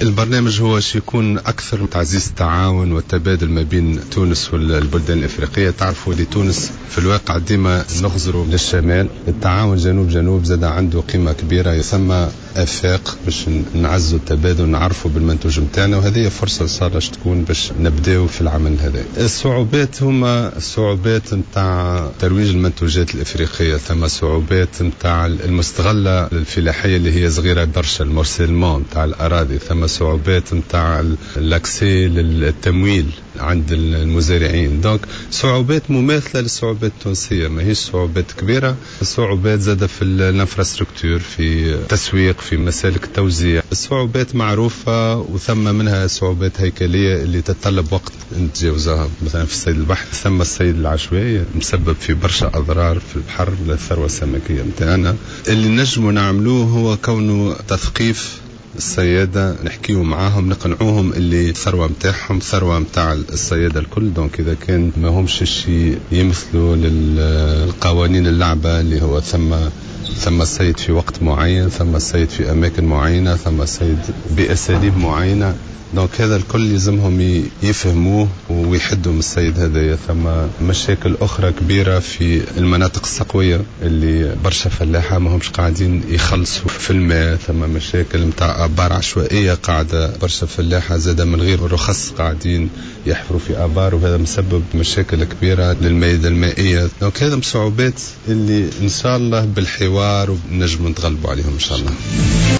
البرنامج هو يكون اكثر تعزيز التعاون والتبادل ما بين تونس والبلدان الافريقيه. تعرفوا اللي تونس في الواقع ديما نخزروا للشمال، التعاون جنوب جنوب زاد عنده قيمة كبيره، يسمى افاق باش نعزوا التبادل، نعرفوا بالمنتوج نتاعنا، وهذه فرصة صار تكون باش نبداو في العمل هذا. الصعوبات هما الصعوبات نتاع ترويج المنتوجات الافريقيه، ثم صعوبات نتاع المستغله الفلاحية اللي هي صغيرة برشا، ال morcellement نتاع الاراضي، ثم صعوبات نتاع l'accès للتمويل عند المزارعين. donc صعوبات مماثلة للصعوبات التونسيه، ماهيش صعوبات كبيره. الصعوبات زاده في l'infrastructure، في التسويق، في مسالك التوزيع. الصعوبات معروفة وثم منها صعوبات هيكلية اللي تتطلب وقت نتجاوزها. مثلا في الصيد البحر ثم الصيد العشوائي مسبب في برشا اضرار في البحر للثروه السمكيه نتاعنا. اللي نجموا نعملوه هو كونه تثقيف الصيادة، نحكيو معاهم، نقنعوهم اللي الثروة نتاعهم ثروة نتاع الصيادة الكل. donc إذا كان ما همش شيء يمثلوا للقوانين اللعبة اللي هو ثم الصيد في وقت معين، ثم الصيد في أماكن معينة، ثم الصيد بأساليب معينة. donc هذا الكل يلزمهم يفهموه ويحدوا من الصيد هذايا. ثم مشاكل اخرى كبيرة في المناطق السقويه اللي برشا فلاحة ما همش قاعدين يخلصوا في الماء. ثم مشاكل نتاع ابار عشوائية قاعدة برشا فلاحة زاده من غير رخص قاعدين يحفروا في ابار، وهذا مسبب مشاكل كبيرة للمائده المائيه. donc هذا صعوبات اللي ان شاء الله بالحوار ونجم نتغلبوا عليهم ان شاء الله.